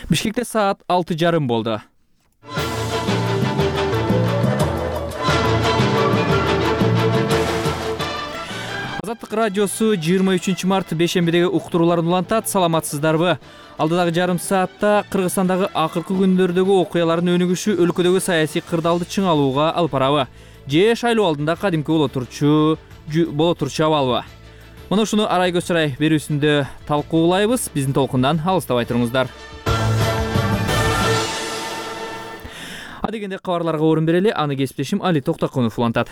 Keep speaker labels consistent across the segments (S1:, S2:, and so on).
S1: Бишкекте саат 6:30 болду. Азаттык радиосу 23 март бейшембидеги уктурууларын улантат. Саламатсыздарбы? Алдыдагы жарым саатта Кыргызстандагы акыркы күндөрдөгү окуялардын өнүгүшү өлкөдөгү саясий кырдаалды чыңалууга алып барабы? Же шайлоо алдында кадимки боло турчу абалбы? Мына ушуну арай көчүрай берүүсүндө талкуулайбыз. Биздин толкундан алыстабай туруңуздар. Адегенде кабарларга орун берели. Аны кесиптешим Али Токтокунов улантат.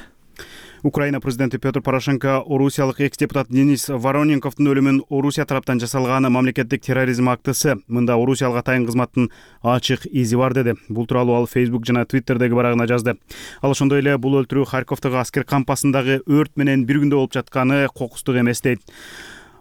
S2: Украина президенти Петр Порошенко орусиялык экс-депутат Денис Вороненковдун өлүмүн Орусия тараптан жасалган мамлекеттик терроризм актысы. Мында Орусиялык атайын кызматтын ачык изи бар деди. Бул тууралуу ал Facebook жана Twitterдеги барагына жазды. Ал ошондой эле бул өлтүрүү Харьковдогу аскер кампасындагы өрт менен бир күндө болуп жатканы кокустук эмес дейт.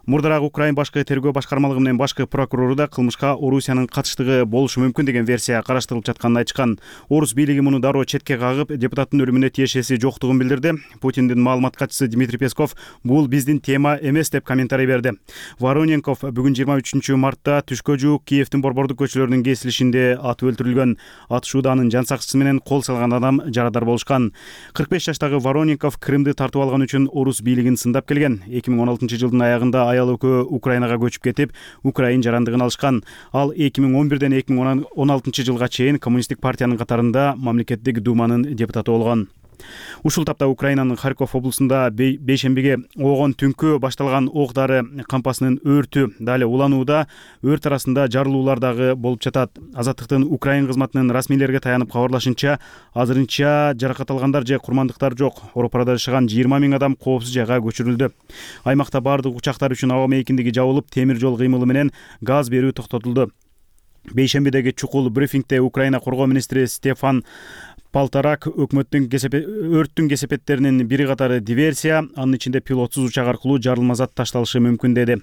S2: Мурдараак Украин башкы тергөө башкармалыгы менен башкы прокурору да кылмышка Орусиянын катыштыгы болушу мүмкүн деген версия караштырылып жатканын айтышкан. Орус бийлиги муну дароо четке кагып, депутаттын өлүмүнө тиешеси жоктугун билдирди. Путиндин маалымат катчысы Дмитрий Песков бул биздин тема эмес деп комментарий берди. Вороненков бүгүн 23 мартта түшкө жуук Киевдин борбордук көчөлөрүнүн кесилишинде атып өлтүрүлгөн. Атышууда анын жан сакчысы менен кол салган адам жарадар болушкан. 45 жаштагы Вороненков Крымды тартып алган үчүн Орус бийлигин сындап келген. 2016 жылдын аягында аял экөө Украинага көчүп кетип, Украин жарандыгын алышкан. Ал 2011ден 2016 жылга чейин коммунисттик партиянын катарында мамлекеттик думанын депутаты болгон. Ушул тапта Украинанын Харьков облусунда бейшембиге огон түнкү башталган ок-дары кампасынын өртү дали уланууда, өрт арасында жарылуулар дагы болуп жатат. Азаттыктын Украин кызматынын расмийлерге таянып кабарлашынча, азырынча жаракат алгандар же курмандыктар жок. Оропарада жашаган 20 000 адам коопсуз жайга көчүрүлдү. Аймакта бардык учактар үчүн аба мейкиндиги жабылып, темир жол кыймылы менен газ берүү токтотулду. Бейшембидеги чукул брифингде Украина коргоо министри Стефан Полторак өрттүн кесепеттеринин бири катары диверсия, анын ичинде пилотсуз учак аркылуу жарылма зат ташталышы мүмкүн деди.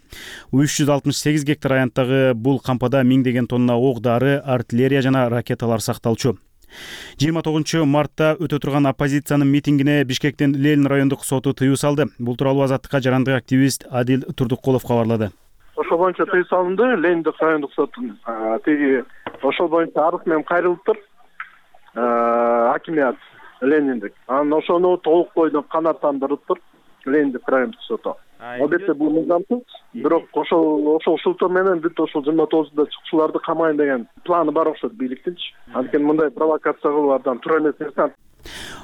S2: 368 гектар аянттагы бул кампада миңдеген тонна ок-дары, артиллерия жана ракеталар сакталчу. 29 мартта өтө турган оппозициянын митингине Бишкектин Ленин райондук соту тыюу салды. Бул тууралуу Азаттыкка жарандык активист Адил Турдуккулов кабарлады.
S3: Ошол боюнча тыюу салынды. Лениндик райондук соттун ошол боюнча арыз менен кайрылыптыр. Хакимият Лениндик. Анан ошону толук бойдон канааттандырыптыр Лениндик райондук соту. Албетте бул мыйзамсыз, бирок ошол шылтоо менен бүт ошол 29-да чыкчуларды камайын деген планы бар окшойт бийликтинчи. Анткени мындай провокация кылуу абдан туура эмес нерсе.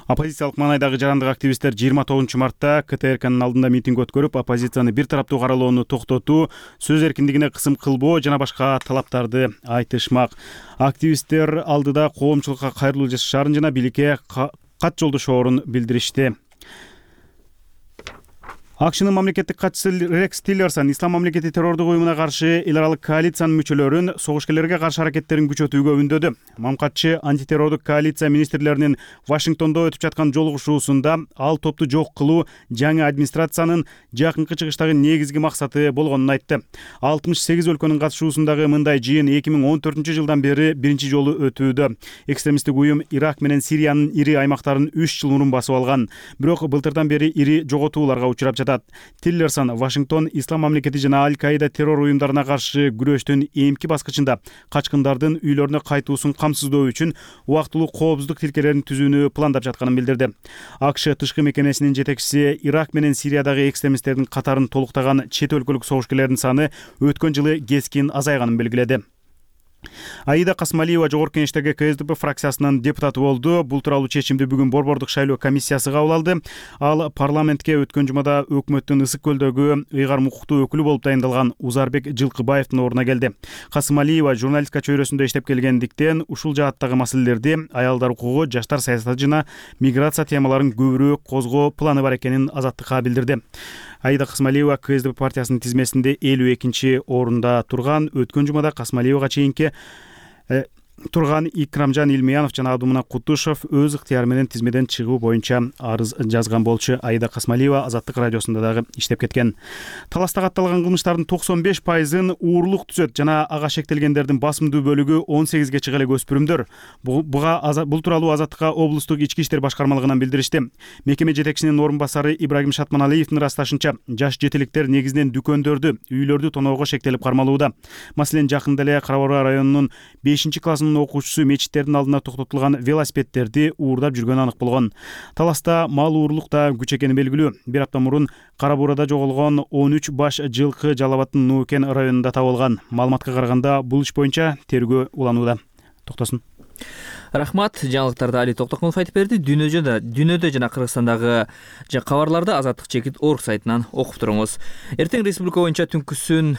S2: Оппозициялык маанайдагы жарандык активисттер 29 мартта КТРКнын алдында митинг өткөрүп, оппозицияны бир тараптуу каралоону токтотуу, сөз эркиндигине кысым кылбоо жана башка талаптарды айтышмак. Активисттер алдыда коомчулукка кайрылуу жасашаарын жана бийликке кат жолдошоорун билдиришти. АКШнын мамлекеттик катчысы Рекс Тиллерсон Ислам мамлекети террордук уюмуна каршы эл аралык коалициянын мүчөлөрүн согушкерлерге каршы аракеттерин күчөтүүгө үндөдү. Мамкатчы антитеррордук коалиция министрлеринин Вашингтондо өтүп жаткан жолугушуусунда ал топту жок кылуу жаңы администрациянын жакынкы чыгыштагы негизги максаты болгонун айтты. 68 өлкөнүн катышуусундагы мындай жыйын 2014 жылдан бери биринчи жолу өтүүдө. Экстремисттик уюм Ирак менен Сириянын ири аймактарын 3 жыл мурун басып алган. Бирок былтырдан бери ири жоготууларга учурап жатат. Тиллерсон Вашингтон Ислам мамлекети жана Аль-Каида террор уюмдарына каршы күрөштүн эмки баскычында качкындардын үйлөрүнө кайтуусун камсыздоо үчүн убактылуу коопсуздук тилкелерин түзүүнү пландап жатканын билдирди. АКШ тышкы мекемесинин жетекчиси Ирак менен Сириядагы экстремисттердин катарын толуктаган чет өлкөлүк согушкерлердин саны өткөн жылы кескин азайганын белгиледи. Аида Касмалиева жогорку кеңештеги КСДП фракциясынын депутаты болду. Бул тууралуу чечимди бүгүн борбордук шайлоо комиссиясы кабыл алды. Ал парламентке өткөн жумада өкмөттүн Ысык көлдөгү ыйгарым укуктуу өкүлү болуп дайындалган Узарбек Жылкыбаевдин ордуна келди. Касмалиева журналистика чөйрөсүндө иштеп келгендиктен ушул жааттагы маселелерди, аялдар укугу, жаштар саясаты жана миграция темаларын көбүрөөк козгоо планы бар экенин Азаттыкка билдирди. Аида Касмалиева КСДП партиясынын тизмесинде 52-орунда турган. Өткөн жумада Касмалиевага чейинки турган Икрамжан Илмиянов жана Абдумунак Кутушев өз ыктыяры менен тизмеден чыгуу боюнча арыз жазган болчу. Аида Касмалиева Азаттык радиосунда дагы иштеп кеткен. Таласта катталган кылмыштардын 95%ын уурлук түзөт жана ага шектелгендердин басымдуу бөлүгү 18 чыга элек өспүрүмдөр. Бул тууралуу Азаттыкка облустук ички иштер башкармалыгынан билдиришти. Мекеме жетекчисинин орун басары Ибрагим Шатманалиевдин ырасташынча, жаш жетиликтер негизинен дүкөндөрдү, үйлөрдү тоноого шектелип кармалууда. Маселен, жакында эле Кара Буура районунун 5-классынын окуучусу мечиттердин алдына токтотулган велосипедтерди уурдап жүргөнү анык болгон. Таласта мал уурлук да күч экени белгилүү. Бир апта мурун Кара Буурада жоголгон 13 баш жылкы Жалал Абадтын Нуукен районунда табылган. Маалыматка караганда бул иш боюнча тергөө уланууда. Токтосун.
S1: Рахмат. Жаңылыктарды Али Токтокмулов айтып берди. Дүйнөдө жана Кыргызстандагы кабарларды Азаттык чекит орг сайтынан окуп туруңуз. Эртең республика боюнча түнкүсүн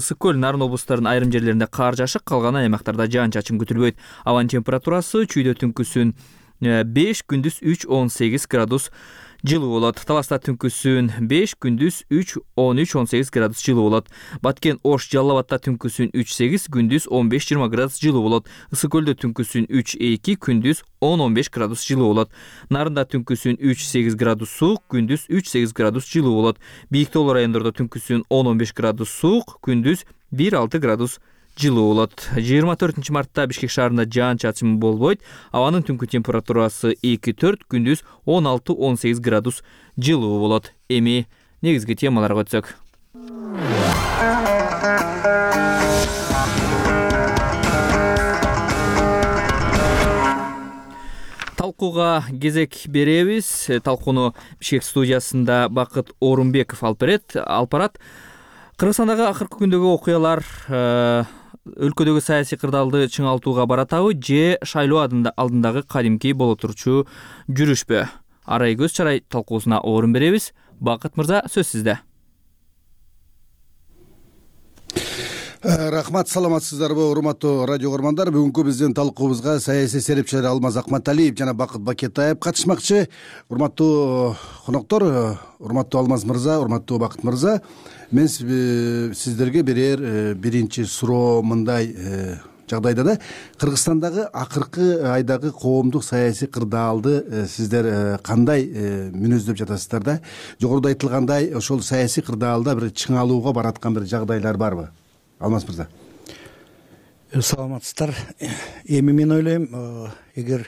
S1: Ысык көл, Нарын облустарынын айрым жерлеринде кар жашык, калган аймактарда жаан-чачын күтүлбөйт. Абанын температурасы чүйдө түнкүсүн 5, күндүз 3-18 градус жылуу болот. Таласта түнкүсүн 5, күндүз 3-13-18 градус жылуу болот. Баткен, Ош, Жалал Абадта түнкүсүн 3-8, күндүз 15-20 градус жылуу болот. Ысык көлдө түнкүсүн 3-2, күндүз 10-15 градус жылуу болот. Нарында түнкүсүн 3-8 градус суук, күндүз 3-8 градус жылуу болот. Бийик тоолуу райондордо түнкүсүн 10-15 градус суук, күндүз 1-6 градус жылуу болот. 24 мартта Бишкек шаарында жаан-чачын болбойт. Абанын түнкү температурасы 2-4, күндүз 16-18 градус жылуу болот. Эми негизги темаларга өтсөк. Талкууга кезек беребиз. Талкууну Бишкек студиясында Бакыт Орунбеков алып барат. Кыргызстандагы акыркы күндөгү окуялар өлкөдөгү саясий кырдаалды чыңалтууга баратабы же шайлоо алдындагы кадимки боло турчу жүрүшпү? Арай көз чарай талкуусуна орун беребиз. Бакыт мырза, сөз сизде.
S4: Рахмат, саламатсыздарбы, урматтуу радио көрмандар. Бүгүнкү биздин талкуубузга саясий серепчилер Алмаз Акматалиев жана Бакыт Бакетаев катышмакчы. Урматтуу коноктор, урматтуу Алмаз мырза, урматтуу Бакыт мырза, мен сиздерге берер биринчи суроо мындай: жагдайда да Кыргызстандагы акыркы айдагы коомдук саясий кырдаалды сиздер кандай мүнөздөп жатасыздар да? Жогоруда айтылгандай, ошол саясий кырдаалда бир чыңалууга бараткан бир жагдайлар барбы? Алмаз мырза.
S5: Саламатсыздар. Эми мен ойлойм, эгер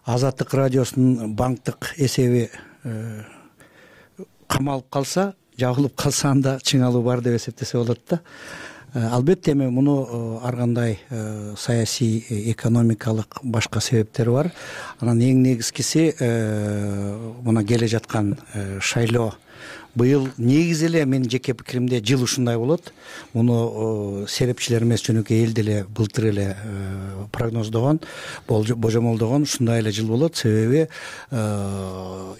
S5: Азаттык радиосунун банктык эсеби камалып калса, жабылып калса, анда чыңалуу бар деп эсептесе болот да. Албетте эми муну ар кандай саясий, экономикалык башка себептери бар. Анан эң негизгиси мына келе жаткан шайлоо. Быйыл негизи эле менин жеке пикиримде жыл ушундай болот. Муну серепчилер эмес, жөнөкөй эл деле былтыр эле прогноздогон, божомолдогон ушундай эле жыл болот. Себеби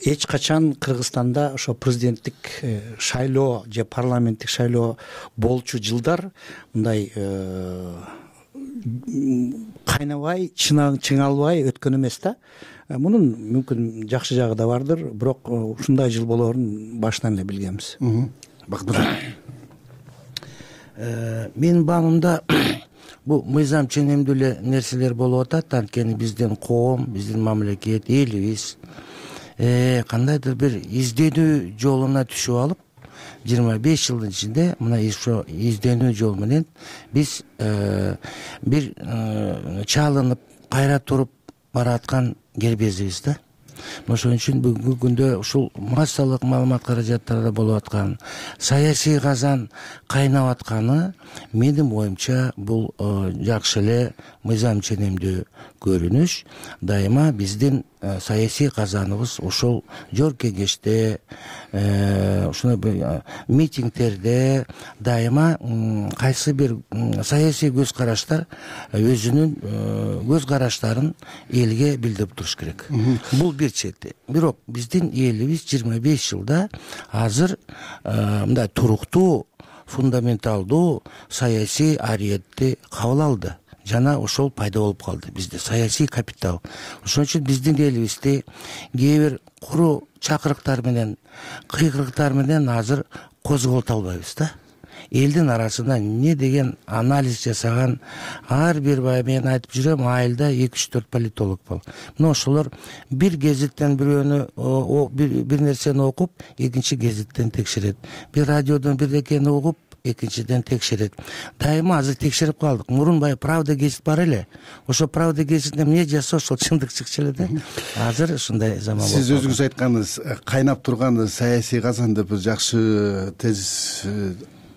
S5: эч качан Кыргызстанда ошо президенттик шайлоо же парламенттик шайлоо болчу жылдар мындай кайнабай, чыңалбай өткөн эмес да. Мунун мүмкүн жакшы жагы да бардыр, бирок ушундай жыл болоорун башынан эле билгенбиз.
S6: Менин баамымда бул мыйзам ченемдүү эле нерселер болуп атат. Анткени биздин коом, биздин мамлекет, элибиз кандайдыр бир изденүү жолуна түшүп алып, 25 жылдын ичинде мына ошо изденүү жол менен биз бир чалынып, кайра туруп бараткан кербезибиз да. Ошон үчүн бүгүнкү күндө ушул массалык маалымат каражаттарда болуп аткан саясий казан кайнап атканы менин оюмча бул жакшы эле мыйзам ченемдүү көрүнүш. Дайыма биздин саясий казаныбыз ошол жор кеңеште, ушундай митингдерде дайыма кайсы бир саясий көз караштар өзүнүн көз караштарын элге билдирип туруш керек. Бул бир чети. Бирок биздин элибиз 25 жылда азыр мындай туруктуу, фундаменталдуу саясий ариетти кабыл алды. Жана ошол пайда болуп калды бизде саясий капитал. Ошон үчүн биздин элибизди кээ бир куру чакырыктар менен, кыйкырыктар менен азыр козголто албайбыз да. элдин арасында эмне деген анализ жасаган ар бир баягы мен айтып жүрөм, айылда 2-3-4 политолог бол. Мына ошолор бир гезиттен бирөөнү бир нерсени окуп, экинчи гезиттен текшерет. Бир радиодон бирдекени угуп, экинчиден текшерет. Дайыма азыр текшерип калдык. Мурун баягы Правда гезит бар эле. Ошо Правда гезитинде эмне жазса ошол чындык чыкчу эле да. Азыр ушундай заман болду.
S4: Сиз өзүңүз айтканыңыз кайнап турган саясий казан деп жакшы тезис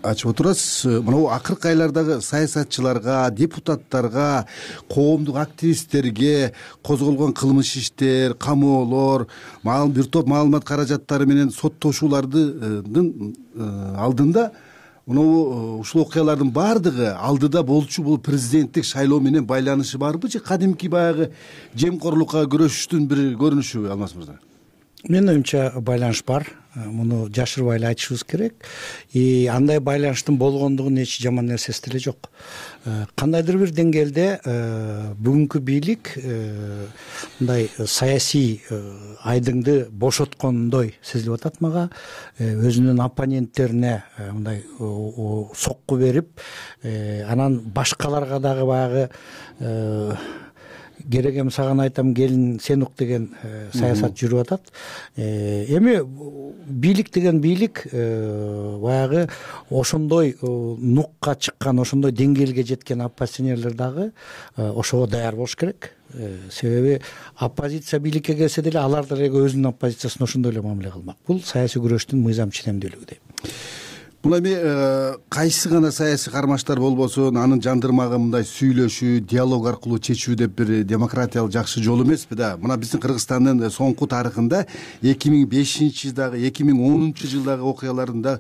S4: ачып отурасыз. Мына акыркы айлардагы саясатчыларга, депутаттарга, коомдук активисттерге козголгон кылмыш иштер, камоолор, бир топ маалымат каражаттары менен соттошуулардын алдында ушул окуялардын баардыгы алдыда болчу бул президенттик шайлоо менен байланышы барбы же кадимки баягы жемкорлукка күрөшүштүн бир көрүнүшүбү, Алмаз мырза?
S5: Менин оюмча байланыш бар. Муну жашырбай эле айтышыбыз керек. Андай байланыштын болгондугунун эч жаман нерсеси деле жок. Кандайдыр бир деңгээлде бүгүнкү бийлик мындай саясий айдыңды бошоткондой сезилип атат мага. Өзүнүн оппоненттерине мындай сокку берип, анан башкаларга дагы баягы керегем саган айтам келин сен ук деген саясат жүрүп атат. Эми бийлик деген бийлик баягы ошондой нукка чыккан, ошондой деңгээлге жеткен оппозиционерлер дагы ошого даяр болуш керек. Себеби оппозиция бийликке келсе деле алар деле өзүнүн оппозициясына ошондой эле мамиле кылмак. Бул саясий күрөштүн мыйзам ченемдүүлүгү дейм.
S4: Бул эми кайсы гана саясий кармаштар болбосун, анын жандырмагы мындай сүйлөшүү, диалог аркылуу чечүү деп бир демократиялык жакшы жол эмеспи да. Мына биздин Кыргызстандын соңку тарыхында 2005-жылдагы, 2010-жылдагы окуяларында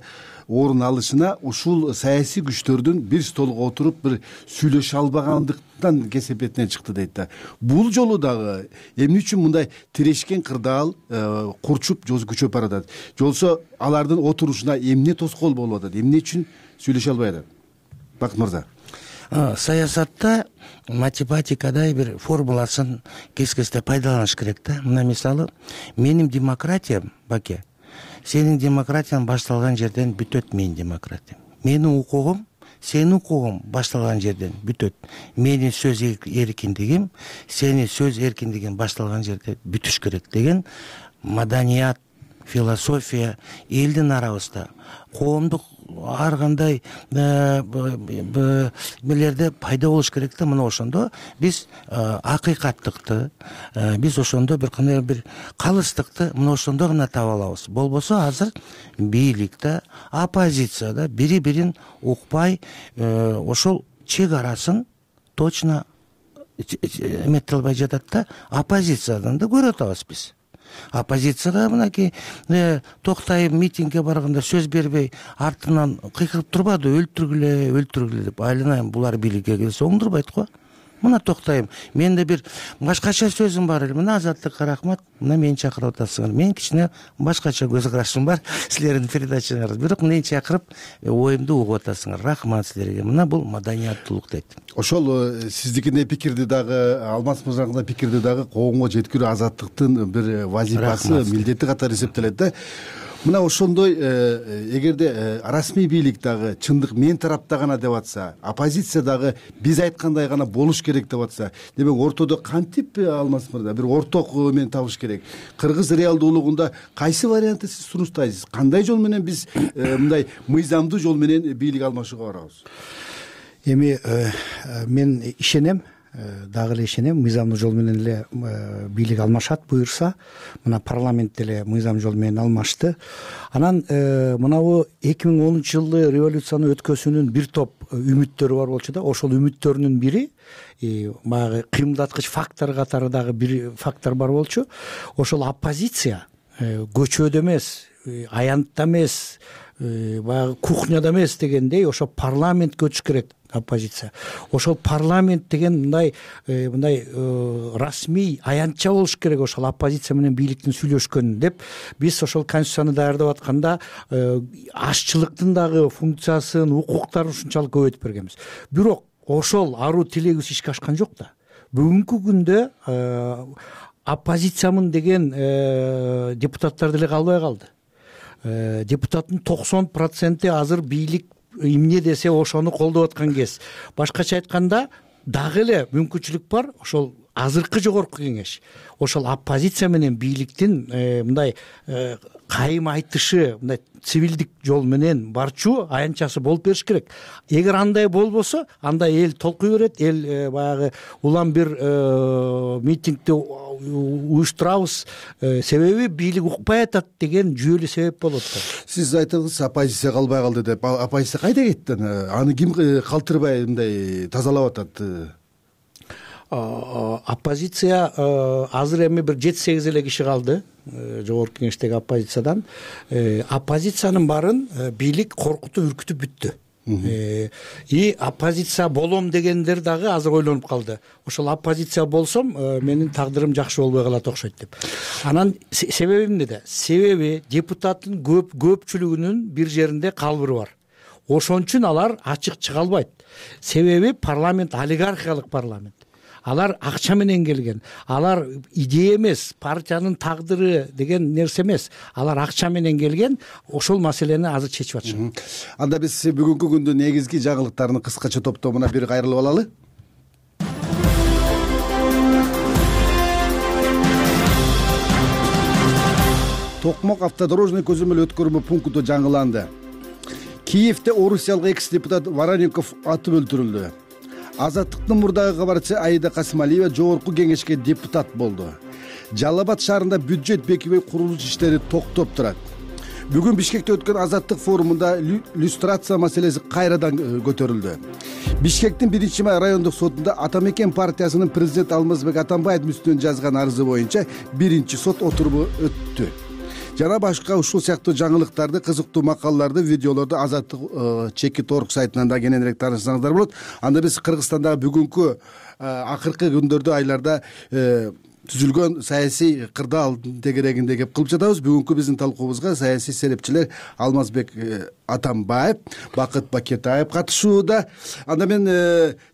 S4: орун алышына ушул саясий күчтөрдүн бир столго отуруп бир сүйлөшө албагандыктан кесепетинен чыкты дейт да. Бул жолу дагы эмне үчүн мындай тирешкен кырдаал курчуп күчөп баратат? Жолсо алардын отурушуна эмне тоскоол болуп атат? Эмне үчүн сүйлөшө албай атат? Бакыт мырза.
S6: Саясатта математикадай бир формуласын кескесте пайдаланыш керек да. Мына мисалы, менин демократиям, Баке, сенин демократияң башталган жерден бүтөт менин демократиям. Менин укугум, сенин укугуң башталган жерден бүтөт. Менин сөз эркиндигим, сенин сөз эркиндигиң башталган жерде бүтүш керек деген маданият, философия элдин арабызда, коомдук ар кандай мелерде пайда болуш керек да. Мына ошондо биз акыйкаттыкты, биз ошондо бир кандай бир калыстыкты мына ошондо гана таба алабыз. Болбосо азыр бийликте, оппозицияда бири-бирин укпай, ошол чек арасын точно эмете албай жатат да. Оппозициядан да көрүп атабыз биз. Оппозицияда мынакей Токтаев митингге барганда сөз бербей артынан кыйкырып турбады, өлтүргүлө деп. Айланайм, булар бийликке келсе оңдурбайт го. Мына Токтаев, менде бир башкача сөзүм бар эле. Мына Азаттыкка рахмат, мына мени чакырып атасыңар. Мен кичине башкача көз карашым бар силердин передачаңарда. Бирок мени чакырып оюмду угуп атасыңар. Рахмат силерге. Мына бул маданияттуулук дейт.
S4: Ошол сиздикине пикирди дагы, Алмаз мырзанын пикирди дагы коомго жеткирүү Азаттыктын бир вазифасы, милдети катары эсептелет да. Мына ошондой эгерде расмий бийлик дагы чындык мен тарапта гана деп атса, оппозиция дагы биз айткандай гана болуш керек деп атса, демек ортодо кантип, Алмаз мырза, бир орток мен табыш керек? Кыргыз реалдуулугунда кайсы вариантты сиз сунуштайсыз? Кандай жол менен биз мындай мыйзамдуу жол менен бийлик алмашууга барабыз?
S5: Эми мен ишенем, дагы эле ишенем, мыйзамдуу жол менен эле бийлик алмашат буюрса. Мына парламент деле мыйзам жол менен алмашты. Анан мынабу 2010-жылы революцияны өткөзүүнүн бир топ үмүттөрү бар болчу да. Ошол үмүттөрүнүн бири баягы кыймылдаткыч фактор катары дагы бир фактор бар болчу. Ошол оппозиция көчөдө эмес, аянтта эмес, баягы кухняда эмес дегендей ошо парламентке өтүш керек оппозиция. Ошол парламент деген мындай расмий аянтча болуш керек ошол оппозиция менен бийликтин сүйлөшкөн деп биз ошол конституцияны даярдап атканда ашчылыктын дагы функциясын, укуктарын ушунчалык көбөйтүп бергенбиз. Бирок ошол аруу тилегибиз ишке ашкан жок да. Бүгүнкү күндө оппозициямын деген депутаттар деле калбай калды. Депутаттын 90% азыр бийлик эмне десе ошону колдоп аткан кез. Башкача айтканда дагы эле мүмкүнчүлүк бар. Ошол азыркы жогорку кеңеш ошол оппозиция менен бийликтин мындай кайым айтышы, мындай цивилдик жол менен барчу аянтчасы болуп бериш керек. Эгер андай болбосо, анда эл толкуй берет, эл баягы улам бир митингди уюштурабыз, себеби бийлик укпай атат деген жүйөлүү себеп болот да.
S4: Сиз айттыңыз, оппозиция калбай калды деп. Оппозиция кайда кетти? Аны ким калтырбай мындай тазалап атат?
S5: Оппозиция азыр эми бир 7-8 эле киши калды жогорку кеңештеги оппозициядан. Оппозициянын баарын бийлик коркутуп үркүтүп бүттү. И оппозиция болом дегендер дагы азыр ойлонуп калды. Ошол оппозиция болсом, менин тагдырым жакшы болбой калат окшойт деп. Анан себеби эмнеде? Себеби депутаттын көпчүлүгүнүн бир жеринде калбыры бар. Ошон үчүн алар ачык чыга албайт. Себеби парламент олигархиялык парламент. Алар акча менен келген. Алар идея эмес, партиянын тагдыры деген нерсе эмес. Алар акча менен келген. Ошол маселени азыр чечип атышат.
S4: Анда биз бүгүнкү күндүн негизги жаңылыктарын кыскача топтомуна бир кайрылып алалы. Токмок автодорожный көзөмөл өткөрмө пункту жаңыланды. Киевде орусиялык экс-депутат Вороненков атып өлтүрүлдү. Азаттыктын мурдагы кабарчысы Аида Касымалиева жогорку кеңешке депутат болду. Жалал Абад шаарында бюджет бекибей курулуш иштери токтоп турат. Бүгүн Бишкекте өткөн Азаттык форумунда люстрация маселеси кайрадан көтөрүлдү. Бишкектин 1-май райондук сотунда Атамекен партиясынын президент Алмазбек Атамбаевдин үстүнөн жазган арызы боюнча 1-сот отуруму өттү. Жана башка ушул сыяктуу жаңылыктарды, кызыктуу макалаларды, видеолорду Азаттык чекит.org сайтынан да кененирээк таанышсаңыздар болот. Анда биз Кыргызстандагы бүгүнкү акыркы күндөрдө, айларда түзүлгөн саясий кырдаал тегерегинде кеп кылып жатабыз. Бүгүнкү биздин талкуубузга саясий серепчилер Алмазбек Атамбаев, Бакыт Бакетаев катышууда. Анда мен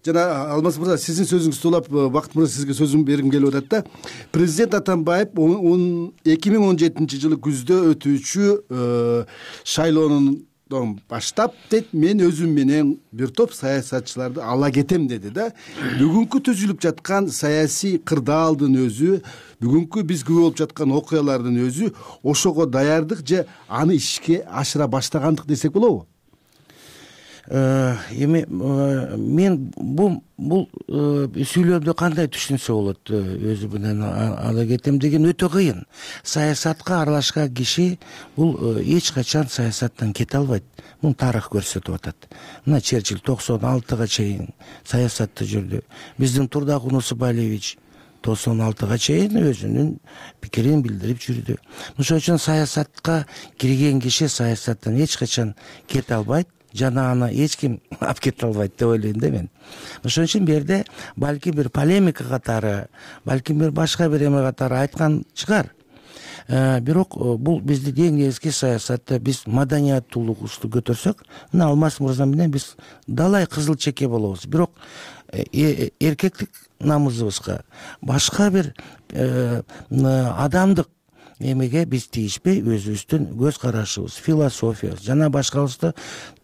S4: жана Алмаз мырза, сиздин сөзүңүздү улап, Бакыт мырза сизге сөзүм бергим келип атат да. Президент Атамбаев 2017 жылы күздө өтүүчү шайлоонун баштап дейт, мен өзүм менен бир топ саясатчыларды ала кетем деди да. Бүгүнкү түзүлүп жаткан саясий кырдаалдын өзү, бүгүнкү биз күбө болуп жаткан окуялардын өзү ошого даярдык же аны ишке ашыра баштагандык десек болобу?
S6: Эми мен бул сүйлөмдү кандай түшүнсө болот? Өзү менен ала кетем деген өтө кыйын. Саясатка аралашкан киши бул эч качан саясаттан кете албайт. Муну тарых көрсөтүп атат. Мына Черчилль 96-га чейин саясатта жүрдү. Биздин Турдак Унусубалиевич 96-га чейин өзүнүн пикирин билдирип жүрдү. Ошон үчүн саясатка кирген киши саясаттан эч качан кете албайт. Жана аны эч ким алып кете албайт деп ойлойм да мен. Ошон үчүн бул жерде балким бир полемика катары, балким бир башка бир эме катары айткан чыгар. Бирок бул биздин эң негизги саясатта биз маданияттуулугубузду көтөрсөк, мына Алмаз мырза менен биз далай кызыл чеке болобуз. Бирок эркектик намысыбызга, башка бир адамдык эмеге биз тийишпей, өзүбүздүн көз карашыбыз, философиябыз жана башкабызды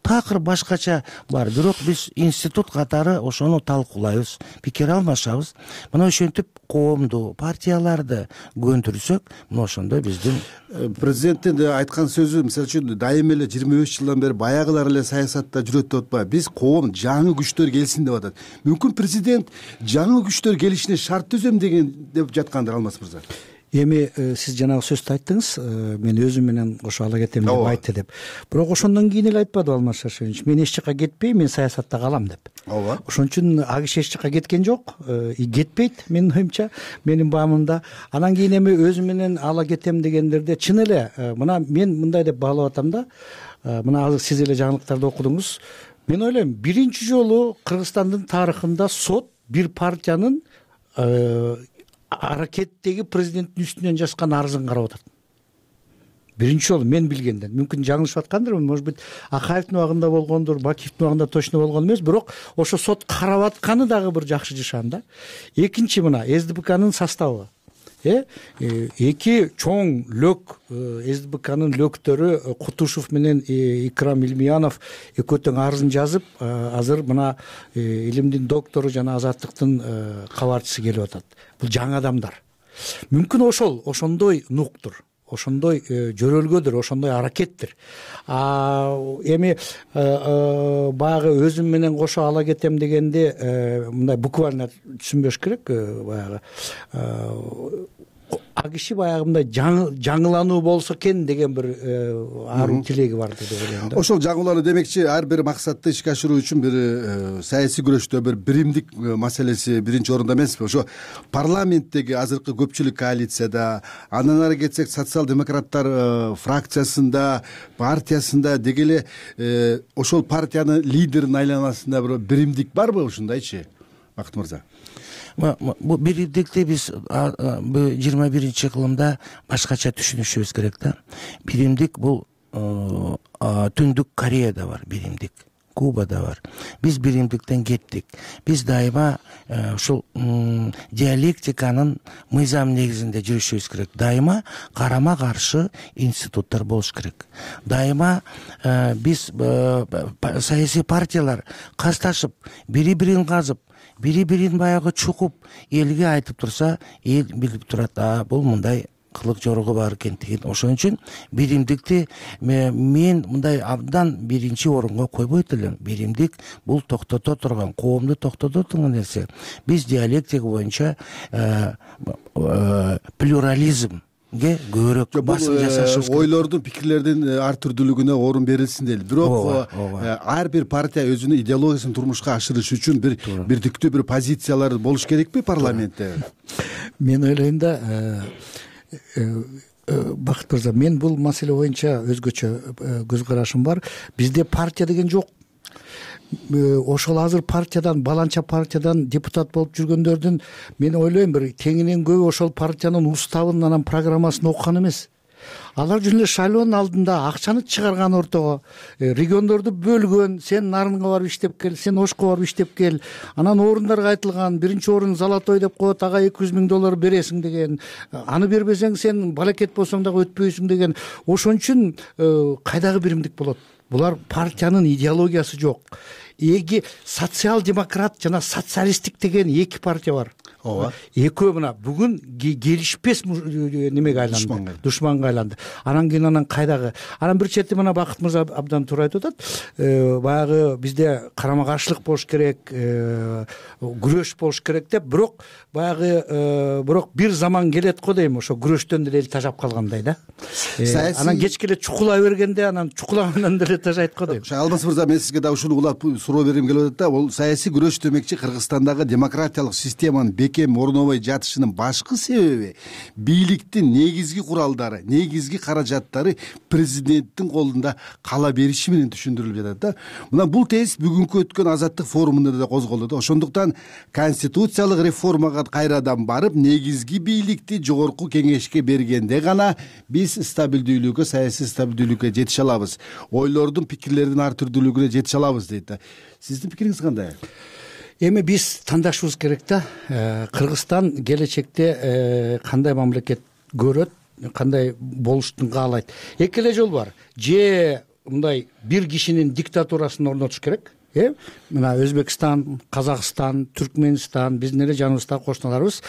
S6: такыр башкача бар. Бирок биз институт катары ошону талкуулайбыз, пикир алмашабыз. Мына ошентип коомду, партияларды көндүрсөк, мына ошондо биздин
S4: президенттин айткан сөзү, мисалы үчүн дайыма эле 25 жылдан бери баягылар эле саясатта жүрөт деп атпайбы. Биз коом жаңы күчтөр келсин деп атат. Мүмкүн президент жаңы күчтөр келишине шарт түзөм деген деп жаткандыр, Алмаз мырза.
S5: Эми сиз жанагы сөздү айттыңыз, мен өзүм менен ошо ала кетем деп айтты деп. Бирок ошондон кийин эле айтпады Алмаз Шаршенович, мен эч жака кетпейм, мен саясатта калам деп.
S4: Ооба.
S5: Ошон үчүн ал киши эч жака кеткен жок, кетпейт менин оюмча, менин баамымда. Анан кийин эми өзүм менен ала кетем дегендерде чын эле мына мен мындай деп баалап атам да. Мына азыр сиз эле жаңылыктарды окудуңуз. Мен ойлойм, биринчи жолу Кыргызстандын тарыхында сот бир партиянын аракеттеги президенттин үстүнөн жазган арызын карап атат. Биринчи жолу мен билгенден. Мүмкүн жаңылышып аткандырмын, может быть, Акаевдин убагында болгондур, Бакиевдин убагында точно болгон эмес, бирок ошо сот карап атканы дагы бир жакшы жышан да. Экинчи, мына СДПКнын составы. эки чоң лөк СДБКнын лөктөрү Кутушев менен Икрам Илмиянов экөө тең арызын жазып, азыр мына илимдин доктору жана Азаттыктын кабарчысы келип атат. Бул жаңы адамдар. Мүмкүн ошондой нуктур, ошондой жөрөлгөдүр, ошондой аракеттир. Эми баягы өзүм менен кошо ала кетем дегенде мындай буквально түшүнбөш керек. Баягы а киши баягы мындай жаңылануу болсо экен деген бир аруу тилеги бар деп ойлойм да.
S4: Ошол жаңылануу демекчи ар бир максатты ишке ашыруу үчүн бир саясий күрөштө бир биримдик маселеси биринчи орунда эмеспи? Ошо парламенттеги азыркы көпчүлүк коалицияда, андан ары кетсек социал-демократтар фракциясында, партиясында деги эле ошол партиянын лидеринин айланасында бир биримдик барбы ушундайчы, Бакыт мырза?
S6: Бул биримдикти биз 21 кылымда башкача түшүнүшүбүз керек да. Биримдик бул Түндүк Кореяда бар биримдик, Кубада бар. Биз биримдиктен кеттик. Биз дайыма ушул диалектиканын мыйзам негизинде жүрүшүбүз керек. Дайыма карама каршы институттар болуш керек. Дайыма биз саясий партиялар касташып, бири-бирин казып, бири-бирин баягы чукуп элге айтып турса, эл билип турат, бул мындай кылык жоругу бар экен деген. Ошон үчүн биримдикти мен мындай абдан биринчи орунга койбойт элем. Биримдик бул токтото турган, коомду токтото турган нерсе. Биз диалектика боюнча плюрализм көбүрөөк басым жасашыбыз керек.
S4: Ойлордун, пикирлердин ар түрдүүлүгүнө орун берилсин дейли. Бирок ар бир партия өзүнүн идеологиясын турмушка ашырыш үчүн бирдиктүү бир позициялар болуш керекпи парламентте?
S5: Мен ойлойм да, Бакыт мырза, мен бул маселе боюнча өзгөчө көз карашым бар. Бизде партия деген жок. Ошол азыр партиядан, баланча партиядан депутат болуп жүргөндөрдүн мен ойлойм бир теңинен көбү ошол партиянын уставын, анан программасын окуган эмес. Алар жөн эле шайлоонун алдында акчаны чыгарган ортого, региондорду бөлгөн, сен нарынга барып иштеп кел, сен ошко барып иштеп кел, анан орундарга айтылган, биринчи орун золотой деп коет, ага $200,000 бересиң деген, аны бербесең сен балекет болсоң дагы өтпөйсүң деген. Ошон үчүн кайдагы биримдик болот? Булар партиянын идеологиясы жок. Эги социал-демократ жана социалисттик деген эки партия бар. Ооба. Экөө мына бүгүн келишпес немеге айланды, душманга айланды. Анан кийин кайдагы? Анан бир чети мына Бакыт мырза абдан туура айтып атат. Баягы бизде карама каршылык болуш керек, күрөш болуш керек деп, бирок бир заман келет го дейм, ошо күрөштөн деле эл тажап калгандай да. Анан кечке эле чукулай бергенде, анан чукулагандан деле тажайт го дейм.
S4: Алмаз мырза, мен сизге да ушуну улап суроо бергим келип атат да. Бул саясий күрөш демекчи Кыргызстандагы демократиялык системанын бекем орнобой жатышынын башкы себеби бийликтин негизги куралдары, негизги каражаттары президенттин колунда кала бериши менен түшүндүрүлүп жатат да. Мына бул тез бүгүнкү өткөн Азаттык форумунда да козголду да. Ошондуктан конституциялык реформага кайрадан барып, негизги бийликти жогорку кеңешке бергенде гана биз стабилдүүлүккө, саясий стабилдүүлүккө жетише алабыз. Ойлордун, пикирлердин ар түрдүүлүгүнө жетише алабыз дейт да. Сиздин пикириңиз кандай?
S5: Эми биз тандашыбыз керек да. Кыргызстан келечекте кандай мамлекет көрөт, кандай болуштун каалайт. Эки эле жол бар. Же мындай бир кишинин диктатурасын орнотуш керек. Мына Өзбекстан, Казакстан, Түркмөнстан, биздин эле жаныбыздагы кошуналарыбыз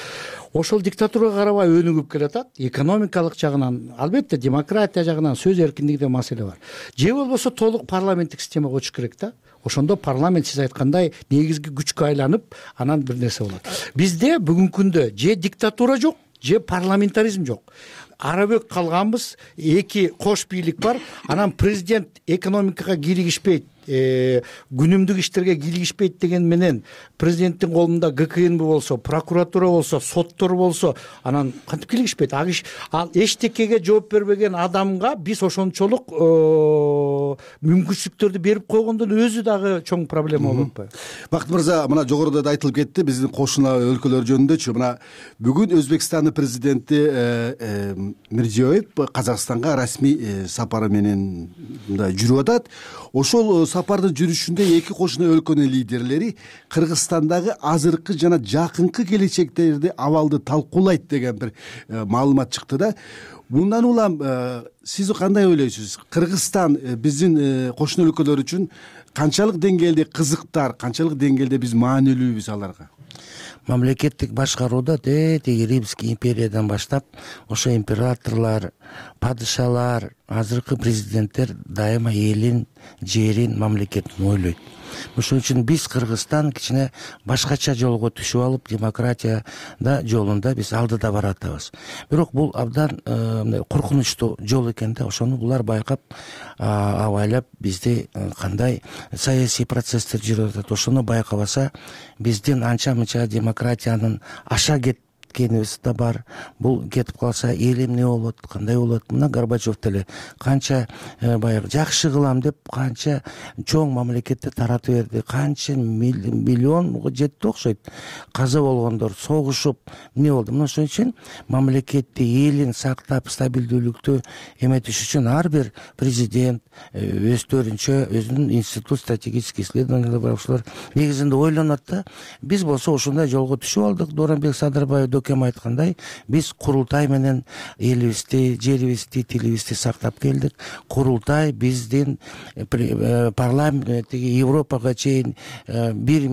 S5: ошол диктатурага карабай өнүгүп келатат. Экономикалык жагынан, албетте демократия жагынан, сөз эркиндиги деген маселе бар. Же болбосо толук парламенттик системага көчүш керек да. Ошондо парламент сиз айткандай негизги күчкө айланып, анан бир нерсе болот. Бизде бүгүнкү күндө же диктатура жок, же парламентаризм жок. Арабөк калганбыз, эки кош бийлик бар. Анан президент экономикага кийлигишпейт, күнүмдүк иштерге кийлигишпейт деген менен президенттин колунда ГКНБ болсо, прокуратура болсо, соттор болсо, анан кантип кийлигишпейт? Ал эчтекеге жооп бербеген адамга биз ошончолук мүмкүнчүлүктөрдү берип койгондун өзү дагы чоң проблема болуп атпайбы?
S4: Бакыт мырза, мына жогоруда да айтылып кетти биздин кошуна өлкөлөр жөнүндөчү. Мына бүгүн Өзбекстандын президенти Мирзиёев Казакстанга расмий сапары менен мындай жүрүп атат. Ошол сапардын жүрүшүндө эки кошуна өлкөнүн лидерлери Кыргызстандагы азыркы жана жакынкы келечектеги абалды талкуулайт деген бир маалымат чыкты да. Мындан улам сиз кандай ойлойсуз? Кыргызстан биздин кошуна өлкөлөр үчүн канчалык деңгээлде кызыктар, канчалык деңгээлде биз маанилүүбүз аларга?
S6: Мамлекеттик башкарууда тетиги Римский империядан баштап ошо императорлор, падышалар, азыркы президенттер дайыма элин, жерин, мамлекетин ойлойт. Ошон үчүн биз Кыргызстан кичине башкача жолго түшүп алып, демократияда жолунда биз алдыда баратабыз. Бирок бул абдан коркунучтуу жол экен да. Ошону булар байкап, абайлап бизди кандай саясий процесстер жүрүп атат, ошону байкабаса, биздин анча-мынча демократиянын аша кеткенибиз да бар. Бул кетип калса эл эмне болот, кандай болот? Мына Горбачев деле канча баягы жакшы кылам деп канча чоң мамлекетти таратып берди, канча миллионго жетти окшойт. Каза болгондор, согушуп эмне болду? Мына ошон үчүн мамлекетти, элин сактап, стабилдүүлүктү эметиш үчүн ар бир президент өздөрүнчө өзүнүн институт стратегических исследованиялар бар, ошолор негизинде ойлонот да. Биз болсо ошондой жолго түшүп алдык. Дооронбек Садырбаев кем айткандай, биз курултай менен элибизди, жерибизди, тилибизди сактап келдик. Курултай биздин парламенттеги Европага чейин бир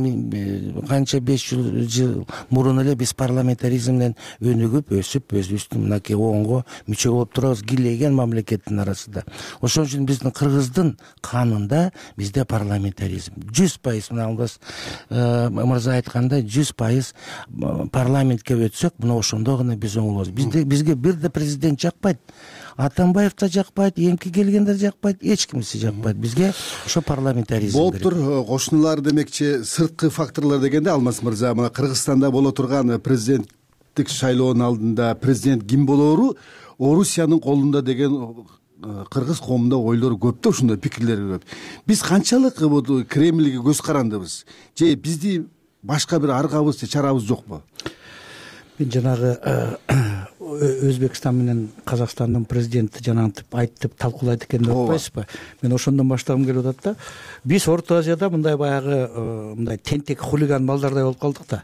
S6: канча 500 жыл мурун эле биз парламентаризм менен өнүгүп, өсүп, өзүбүздүн мынакей оңго мүчө болуп турабыз кийлеген мамлекеттин арасында. Ошон үчүн биздин Кыргыздын канында бизде парламентаризм 100%. Мына Алдас мырза айткандай 100% парламентке өтсөк, мына ошондо гана биз оңолобуз. Бизге бир да президент жакпайт, Атамбаев да жакпайт, эмки келгендер жакпайт, эч кимиси жакпайт. Бизге ошо парламентаризм керек.
S4: Болуптур, кошуналар демекчи сырткы факторлор дегенде Алмаз мырза, мына Кыргызстанда боло турган президенттик шайлоонун алдында президент ким болоору Орусиянын колунда деген кыргыз коомунда ойлор көп да, ушундай пикирлер көп. Биз канчалык Кремльге көз карандыбыз? Же бизди башка бир аргабыз, чарабыз жокпу?
S5: Мен жанагы Өзбекстан менен Казакстандын президенти жанагынтип айтып талкуулайт экен деп атпайсызбы? Мен ошондон баштагым келип атат да. Биз Орто Азияда мындай баягы мындай тентек хулиган балдардай болуп калдык да.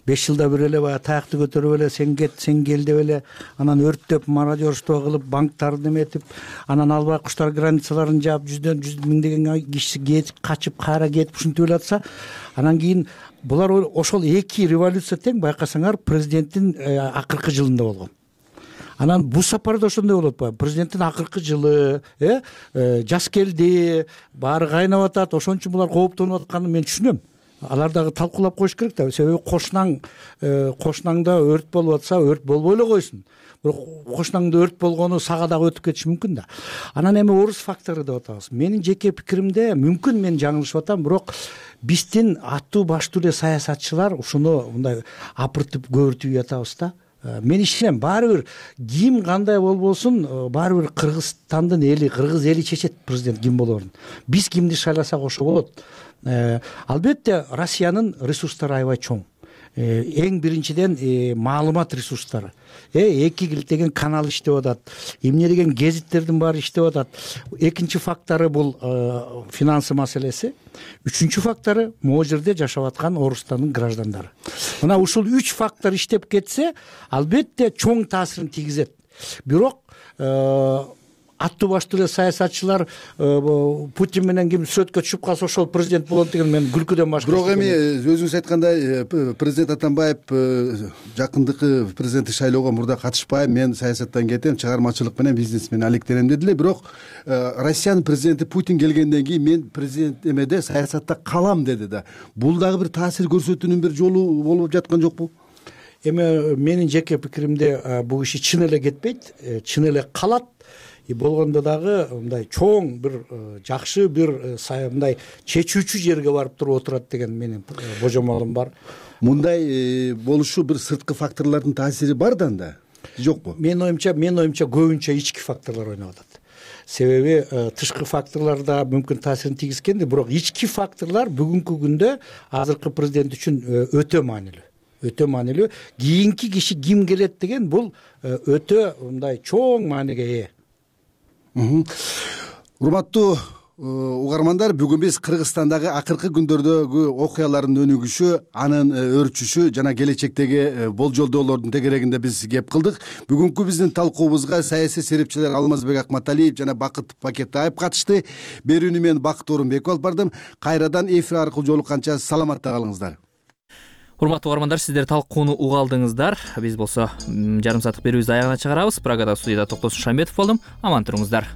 S5: 5 жылда бир эле баягы таякты көтөрүп эле сен кет, сен кел деп эле, анан өрттөп, мародерство кылып, банктарды эметип, анан албай куштар границаларын жаап, жүздөн миңдеген киши кетип, качып, кайра кетип ушинтип эле атса, анан кийин булар ошол эки революция тең байкасаңар президенттин акыркы жылында болгон. Анан бул сапарда ошондой болуп атпайбы? Президенттин акыркы жылы, жаз келди, баары кайнап атат. Ошон үчүн булар кооптонуп атканын мен түшүнөм. Алар дагы талкуулап коюш керек да. Себеби кошунаңда өрт болуп атса, өрт болбой эле койсун. Бирок кошунаңда өрт болгону сага дагы өтүп кетиши мүмкүн да. Анан эми орус фактору деп атабыз. Менин жеке пикиримде, мүмкүн мен жаңылышып атам, бирок биздин аттуу баштуу эле саясатчылар ушуну мындай апыртып көбүртүп жатабыз да. Мен ишенем, баары бир ким кандай болбосун, баары бир Кыргызстандын эли, кыргыз эли чечет президент ким болоорун. Биз кимди шайласак ошо болот. Албетте Россиянын ресурстары аябай чоң. Эң биринчиден маалымат ресурстары. Эки килтеген канал иштеп атат. Эмне деген гезиттердин баары иштеп атат. Экинчи фактору бул финансы маселеси. Үчүнчү фактору могу жерде жашап аткан Орустандын граждандары. Мына ушул 3 фактор иштеп кетсе, албетте чоң таасирин тийгизет. Бирок аттуу баштуу эле саясатчылар Путин менен ким сөткө түшүп калса ошол президент болот деген мен күлкүдөн башка.
S4: Бирок эми өзүңүз айткандай президент Атамбаев жакындыкы президенттик шайлоого мурда катышпайм, мен саясаттан кетем, чыгармачылык менен бизнес менен алектенем деди эле. Бирок Россиянын президенти Путин келгенден кийин мен президент эмеде саясатта калам деди да. Бул дагы бир таасир көрсөтүүнүн бир жолу болуп жаткан жокпу?
S5: Эми менин жеке пикиримде бул киши чын эле кетпейт, чын эле калат. Болгондо дагы мындай чоң бир жакшы бир мындай чечүүчү жерге барып туруп отурат деген менин божомолум бар.
S4: Мындай болушу бир сырткы факторлордун таасири бар да жокпу? Менин
S5: оюмча көбүнчө ички факторлор ойноп атат. Себеби тышкы факторлор да мүмкүн таасирин тийгизгенди, бирок ички факторлор бүгүнкү күндө азыркы президент үчүн өтө маанилүү. Өтө маанилүү. Кийинки киши ким келет деген бул өтө мындай чоң мааниге ээ.
S4: Урматтуу угармандар, бүгүн биз Кыргызстандагы акыркы күндөрдөгү окуялардын өнүгүшү, анын өрчүшү жана келечектеги болжолдоолордун тегерегинде биз кеп кылдык. Бүгүнкү биздин талкуубузга саясий серепчилер Алмазбек Акматалиев жана Бакыт Бакетаев катышты. Берүүнү мен Бакыт Орунбеков алып бардым. Кайрадан эфир аркылуу жолукканча саламатта калыңыздар.
S1: Урматтуу угармандар, сиздер талкууну уга алдыңыздар. Биз болсо жарым сааттык берүүбүздү аягына чыгарабыз. Прагада студияда Токтосун Шамбетов болдум. Аман туруңуздар.